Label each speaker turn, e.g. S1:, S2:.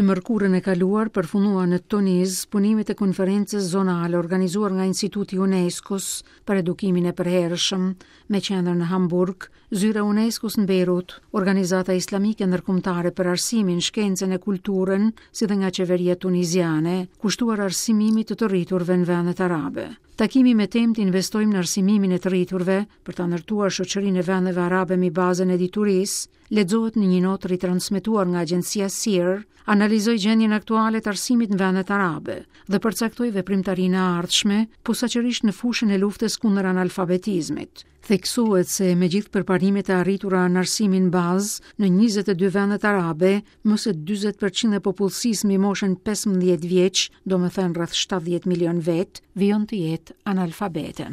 S1: Të mërkurën e kaluar përfunduan në Tuniz punimet e konferencës zonale organizuar nga Instituti i UNESCO-s për Edukimin e Përhershëm, me qendër në Hamburg, Zyra e UNESCO-s në Bejrut, Organizata Islamike Ndërkombëtare për Arsimin, Shkencën e Kulturën, si dhe nga qeveria tuniziane, kushtuar arsimimit të të rriturve në vendet arabe. Takimi me temë të investojmë në arsimimin e të rriturve për ta ndërtuar shoqërinë e vendeve arabe mbi bazën e diturisë, lexohet në një notë ritransmetuar nga agjencia SIR, analizoi gjendjen aktuale të arsimit në vendet arabe dhe përcaktoi veprimtarinë e ardhshme, posaçërisht në fushën e luftës kundër analfabetizmit. Theksohet se megjithë përparimet e arritura në arsimin bazë në 22 vendet arabe, më se 40% e popullsisë mbi moshën 15 vjeç, domethënë rreth 70 milion vetë, vijon të jetë analfabete.